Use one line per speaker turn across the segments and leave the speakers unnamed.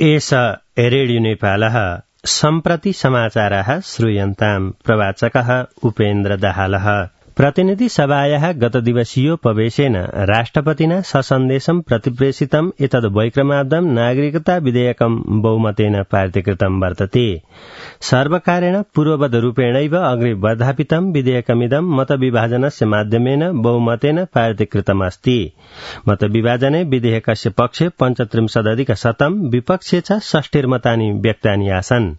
एष रेडियो नेपालः सम्प्रति समाचाराः श्रूयन्ताम्। प्रवाचकः उपेन्द्र दाहालः। प्रतिनिधि सभायाः गतदिवसीयोपवेशेन राष्ट्रपतिना ससन्देशं प्रतिप्रेषितम् एतद् वैक्रमाब्दं नागरिकता विधेयकं बहुमतेन पारितकृतं वर्तते। सर्वकारेण पूर्ववद्रूपेणैव अग्रे वर्धापितं विधेयकमिदं मतविभाजनस्य माध्यमेन बहुमतेन पारितकृतमस्ति। मतविभाजने विधेयकस्य पक्षे 35% विपक्षे च 60 मतानि व्यक्तानि आसन्।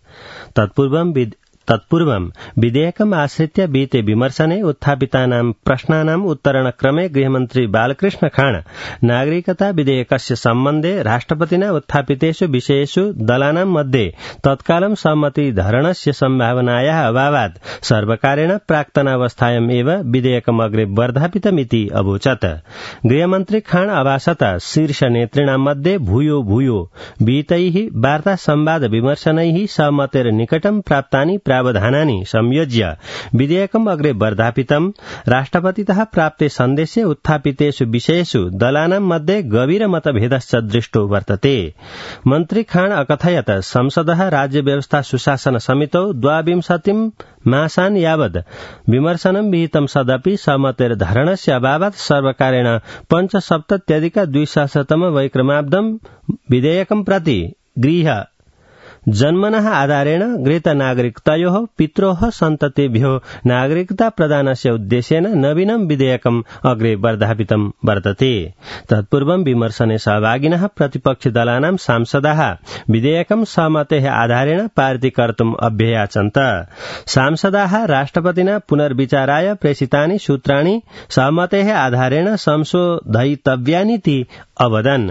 तत्पूर्वं विधेयकम् आश्रित्य विहिते विमर्शने उत्थापितानां प्रश्नानाम् उत्तरणक्रमे गृहमन्त्री बालकृष्ण खाँड नागरिकता विधेयकस्य सम्बन्धे राष्ट्रपतिना उत्थापितेषु विषयेषु दलानां मध्ये तत्कालं सहमतिधरणस्य सम्भावनायाः अभावात् सर्वकारेण प्राक्तनावस्थायाम् एव विधेयकम् अग्रे वर्धापितमिति अवोचत्। गृहमन्त्री खाँड अभासत शीर्षनेतृणां मध्ये भूयो विहितैः वार्ता संवाद विमर्शनैः सहमतेर निकटं प्राप्तानि प्रावधानानि संयोज्य विधेयकम् अग्रे वर्धापितम्। राष्ट्रपतितः प्राप्ते सन्देशे उत्थापितेषु विषयेषु दलानां मध्ये गभीर मतभेदश्च दृष्टो वर्तते। मन्त्री खाँड अकथयत् संसदः राज्य व्यवस्था सुशासन समितौ 22 मासान् यावत् विमर्शनं विहितं सदपि सहमतेर्धरणस्य अभावात् सर्वकारेण 75+200 वैक्रमाब्दं विधेयकं प्रति गृह जन्मनः आधारेण गृहीत नागरिकतायोः पित्रोः सन्ततेभ्यो नागरिकता प्रदानस्य उद्देश्येन नवीनं विधेयकम् अग्रे वर्धापितं वर्तते। तत्पूर्वं विमर्शने सहभागिनः प्रतिपक्षि दलानां सांसदाः विधेयकं सहमतेः आधारेण पारितीकर्तुम् अभ्ययाचन्त। सांसदाः राष्ट्रपतिना पुनर्विचाराय प्रेषितानि सूत्राणि सहमतेः आधारेण संशोधयितव्यानीति अवदन्।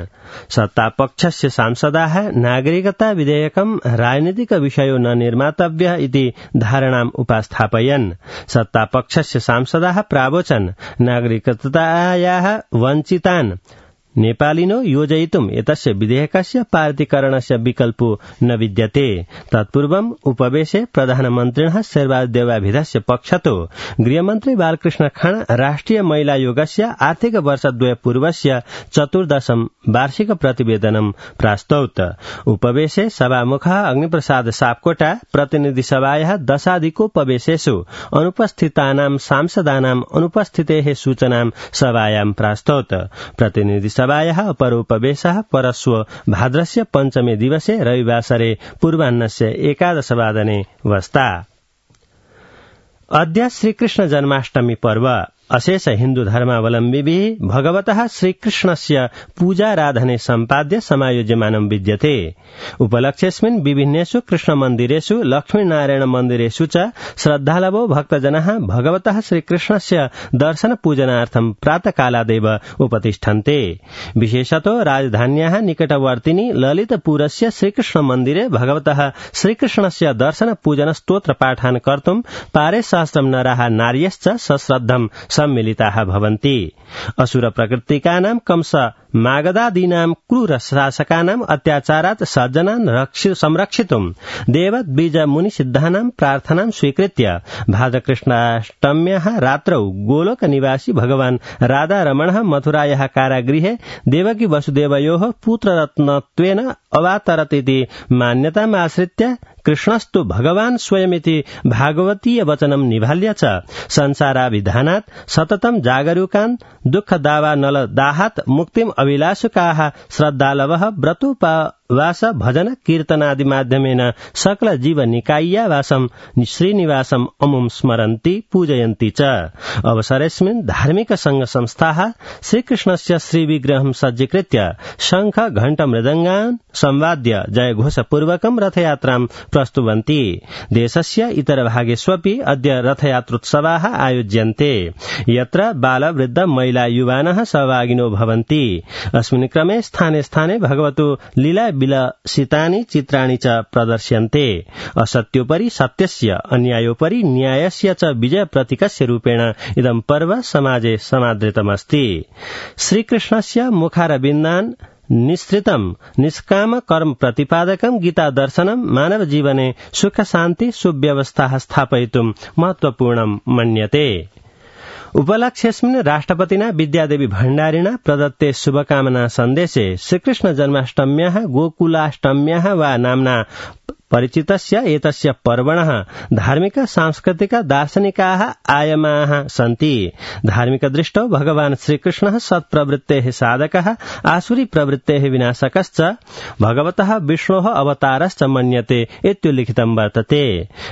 सत्तापक्षस्य सांसदाः नागरिकता विधेयकं राजनीतिक विषयो न निर्मातव्यः इति धारणाम् उपस्थापयन्। सत्तापक्षस्य सांसदाः प्रावोचन् नागरिकतायाः वञ्चितान् नेपालिनो योजयितुम् एतस्य विधेयकस्य पारितीकरणस्य विकल्पो न विद्यते। तत्पूर्वम् उपवेशे प्रधानमन्त्रिणः शेरबहादुर पक्षतो गृहमन्त्री बालकृष्ण खाँड राष्ट्रिय महिला आयोगस्य आर्थिक वर्षद्वय पूर्वस्य 14 वार्षिक प्रतिवेदनं प्रास्तौत। उपवेशे सभामुखः अग्निप्रसाद सापकोटा प्रतिनिधि सभायाः दशाधिकोपवेशेषु अनुपस्थितानां सांसदानाम् अनुपस्थितेः सूचनां सभायां प्रास्तौत। प्रतिनिधि सभायाः अपरोपवेशः परश्व भाद्रस्य 5 दिवसे रविवासरे पूर्वाह्नस्य 11 वादने वस्ता। अद्य श्रीकृष्ण जन्माष्टमी पर्व अशेष हिन्दू धर्मावलम्बिभिः भगवतः श्रीकृष्णस्य पूजाराधने सम्पाद्य समायोज्यमानं विद्यते। उपलक्ष्येऽस्मिन् विभिन्नेषु कृष्णमन्दिरेषु लक्ष्मीनारायण मन्दिरेषु च श्रद्धालवो भक्तजनाः भगवतः श्रीकृष्णस्य दर्शन पूजनार्थं प्रातःकालादेव उपतिष्ठन्ते। विशेषतो राजधान्याः निकटवर्तिनि ललितपुरस्य श्रीकृष्णमन्दिरे भगवतः श्रीकृष्णस्य दर्शन पूजन स्तोत्र पाठान् कर्तुं पारे सहस्रं नराः नार्यश्च सश्रद्धं सम्मिलिताः भवन्ति। असुर प्रकृतिकानां कंस मागधादीनां क्रूर शासकानाम् अत्याचारात् सज्जनान् संरक्षितुं देवत् बीज मुनि सिद्धानां प्रार्थनां स्वीकृत्य भाद्रकृष्णाष्टम्याः रात्रौ गोलोक निवासी भगवान् राधारमणः मथुरायाः कारागृहे देवकी वसुदेवयोः पुत्ररत्नत्वेन अवतरत् इति मान्यताम् आश्रित्य कृष्णस्तु भगवान् स्वयमिति भागवतीय वचनं निभाल्य च संसाराभिधानात् सततं जागरूकान् दुःखदावा नलदाहात् मुक्तिम् अभिलाषुकाः श्रद्धालवः व्रतोपवास भजन कीर्तनादि माध्यमेन सकल जीव निकाय्यावासं श्रीनिवासम् अमुं स्मरन्ति पूजयन्ति च। अवसरेऽस्मिन् धार्मिक संघ संस्थाः श्रीकृष्णस्य श्रीविग्रहं सज्जीकृत्य शंख घण्ट मृदङ्गान् संवाद्य जयघोषपूर्वकं रथयात्रां प्रस्तुवन्ति। देशस्य इतरभागेष्वपि अद्य रथयात्रोत्सवाः आयोज्यन्ते यत्र बाल वृद्ध महिला युवानः सहभागिनो भवन्ति। अस्मिन् क्रमे स्थाने स्थाने भगवतो लीला विलसितानि चित्राणि च प्रदर्श्यन्ते। असत्योपरि सत्यस्य अन्यायोपरि न्यायस्य च विजय प्रतीकस्य रूपेण इदं पर्व समाजे समादृतमस्ति। श्रीकृष्णस्य मुखारविन्दान् निःसृतं निष्काम कर्म प्रतिपादकं गीता दर्शनं मानव जीवने सुख शान्ति सुव्यवस्था स्थापयितुं महत्वपूर्णं मन्यते। उपलक्ष्येऽस्मिन् राष्ट्रपतिना विद्यादेवी भण्डारिणा प्रदत्ते शुभकामना सन्देशे श्रीकृष्ण जन्माष्टम्याः गोकुलाष्टम्याः वा नाम्ना परिचितस्य एतस्य पर्वणः धार्मिक सांस्कृतिक दार्शनिकाः आयामाः सन्ति। धार्मिक दृष्टौ भगवान् श्रीकृष्णः सत्प्रवृत्तेः साधकः आसुरी प्रवृत्तेः विनाशकश्च भगवतः विष्णोः अवतारश्च मन्यते इत्युल्लिखितं वर्तते।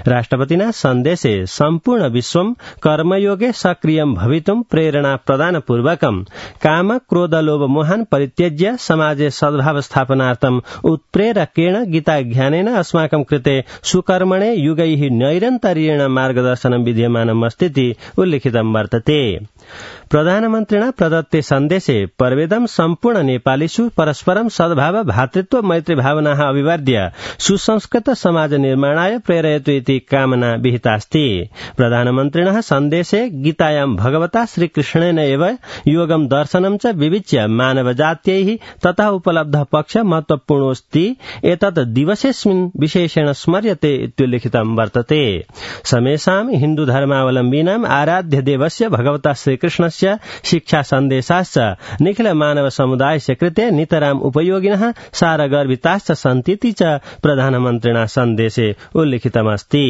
राष्ट्रपतिना सन्देशे सम्पूर्ण विश्वं कर्मयोगे सक्रियं भवितुं प्रेरणा प्रदानपूर्वकं काम क्रोध लोभ मोहान् परित्यज्य समाजे सद्भाव स्थापनार्थम् उत्प्रेरकेण गीताज्ञानेन अस्माकं कृते सुकर्मणे युगैः नैरन्तर्येण मार्गदर्शनं विद्यमानमस्तीति उल्लिखितं वर्तते। प्रधानमन्त्रिणा प्रदत्ते सन्देशे पर्वेदं सम्पूर्ण नेपालीषु परस्परं सद्भाव भातृत्व मैत्री भावनाः अभिवर्ध्य सुसंस्कृत समाज निर्माणाय प्रेरयतु इति कामना विहितास्ति। प्रधानमन्त्रिणः सन्देशे गीतायां भगवता श्रीकृष्णेन एव योगं दर्शनं च विविच्य मानवजात्यैः ततः उपलब्धः पक्षः महत्वपूर्णोऽस्ति एतत् दिवसेऽस्मिन् विशेषेण स्मर्यते इत्युल्लिखितं वर्तते। समेषां हिन्दुधर्मावलम्बीनाम् आराध्य देवस्य भगवता श्रीकृष्णस्य शिक्षा सन्देशाश्च निखिल मानव समुदायस्य कृते नितराम् उपयोगिनः सारगर्भिताश्च सन्तीति च प्रधानमन्त्रिणा सन्देशे उल्लिखितमस्ति।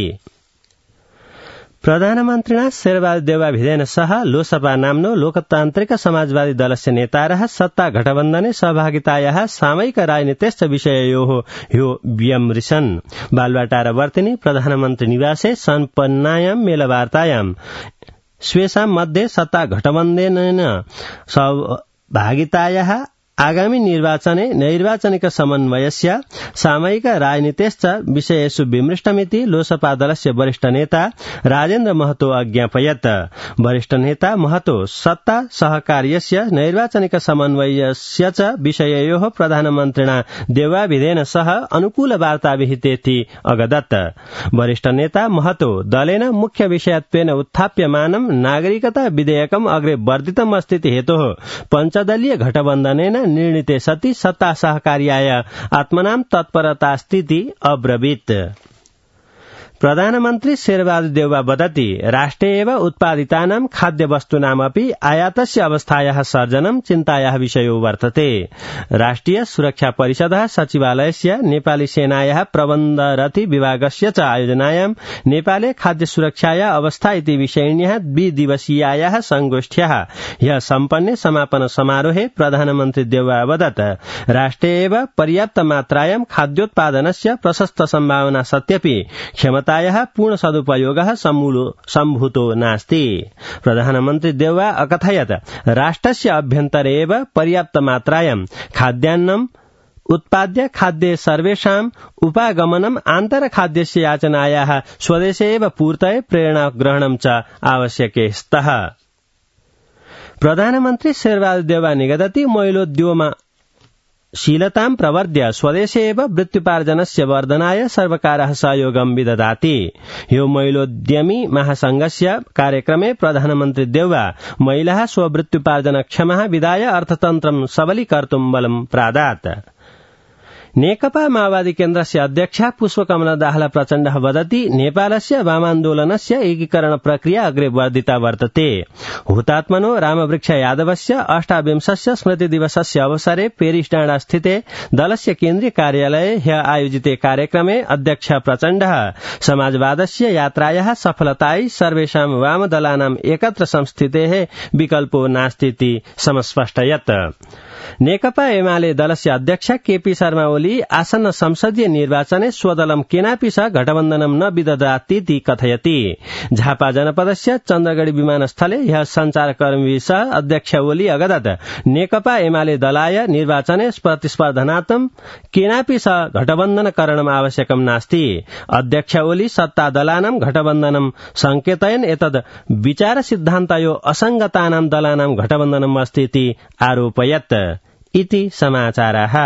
प्रधानमन्त्रिणा शेरबहादुर देउवाभिधेन सह लोसपा नाम्नो लोकतान्त्रिक समाजवादी दलस्य नेतारः सत्ता गठबन्धने सहभागितायाः सामयिक राजनीतिश्च विषययोः ह्यो व्यमृशन्। बालुवाटार वर्तिनि प्रधानमन्त्री निवासे सम्पन्नायां मेलवार्तायां स्वेषां मध्ये सत्ता गठबन्धनेन सहभागितायाः आगामी निर्वाचने नैर्वाचनिक समन्वयस्य सामयिक राजनीतेश्च विषयेषु विमृष्टमिति लोसपा दलस्य वरिष्ठ नेता राजेन्द्र महतो अज्ञापयत्। वरिष्ठ नेता महतो सत्ता सहकार्यस्य नैर्वाचनिक समन्वयस्य च विषययोः प्रधानमन्त्रिणा देउवाभिधेन सह अनुकूल वार्ता विहितेति अगदत्। वरिष्ठ नेता महतो दलेन मुख्य विषयत्वेन उत्थाप्यमानं नागरिकता विधेयकम् अग्रे वर्धितम् अस्तीति हेतोः पञ्चदलीय गठबन्धनेन निर्णीते सति सत्ता सहकार्याय आत्मनां तत्परतास्तीति अब्रवीत्। प्रधानमन्त्री शेरबहादुर देउवा वदति राष्ट्रे एव उत्पादितानां खाद्यवस्तूनामपि आयातस्य अवस्थायाः सर्जनं चिन्तायाः विषयो वर्तते। राष्ट्रिय सुरक्षा परिषदः सचिवालयस्य नेपाली सेनायाः प्रबन्धरति विभागस्य च आयोजनायां नेपाले खाद्य सुरक्षाया अवस्था इति विषयिण्याः द्विदिवसीयायाः संगोष्ठ्याः ह्यः सम्पन्ने समापन समारोहे प्रधानमन्त्री देउवा वदत् राष्ट्रे एव पर्याप्त मात्रायां खाद्योत्पादनस्य प्रशस्त सम्भावना सत्यपि क्षमतायाः पूर्ण सदुपयोगः सम्भूतो नास्ति। प्रधानमन्त्री देउवा अकथयत् राष्ट्रस्य अभ्यन्तरे एव पर्याप्त मात्रायां खाद्यान्नम् उत्पाद्य खाद्ये सर्वेषाम् उपागमनम् आन्तरखाद्यस्य याचनायाः स्वदेशे एव पूर्तये प्रेरणा ग्रहणं च आवश्यके स्तः। प्रधानमन्त्री शेरबहादुर देउवा निगदति महिलोद्यममा शीलतां प्रवर्ध्य स्वदेशे एव वृत्त्युपार्जनस्य वर्धनाय सर्वकारः सहयोगं विदधाति। ह्यो महिलोद्यमी महासंघस्य कार्यक्रमे प्रधानमन्त्री देउवा महिलाः स्ववृत्त्युपार्जनक्षमः विधाय अर्थतन्त्रं सबलीकर्तुं बलं प्रादात्। नेकपा माओवादी केन्द्रस्य अध्यक्षा पुष्पकमला दाहाल प्रचण्डः वदति नेपालस्य वामान्दोलनस्य एकीकरण प्रक्रिया अग्रे वर्धिता वर्तते। हुतात्मनो रामवृक्ष यादवस्य 28 स्मृतिदिवसस्य अवसरे पेरिस डाँडा स्थिते दलस्य केन्द्रीय कार्यालये ह्यः आयोजिते कार्यक्रमे अध्यक्षा प्रचण्डः समाजवादस्य यात्रायाः सफलतायै सर्वेषां वामदलानाम् एकत्र संस्थितेः विकल्पो नास्तीति समस्पष्टयत्। नेकपा एमाले दलस्य अध्यक्ष केपी शर्मा ओली आसन्न संसदीय निर्वाचने स्वदलं केनापि सह गठबन्धनं न विदधातीति कथयति। झापा जनपदस्य चन्द्रगढी विमानस्थले ह्यः सञ्चारकर्मीभिः सह अध्यक्ष ओली अगदत् नेकपा एमाले दलाय निर्वाचने प्रतिस्पर्धनार्थं केनापि सह गठबन्धनकरणम् आवश्यकं नास्ति। अध्यक्ष ओली सत्ता दलानां घटबन्धनं संकेतयन् एतद् विचार सिद्धान्तयो असंगतानां दलानां घटबन्धनम् अस्ति इति आरोपयत्। इति समाचाराः।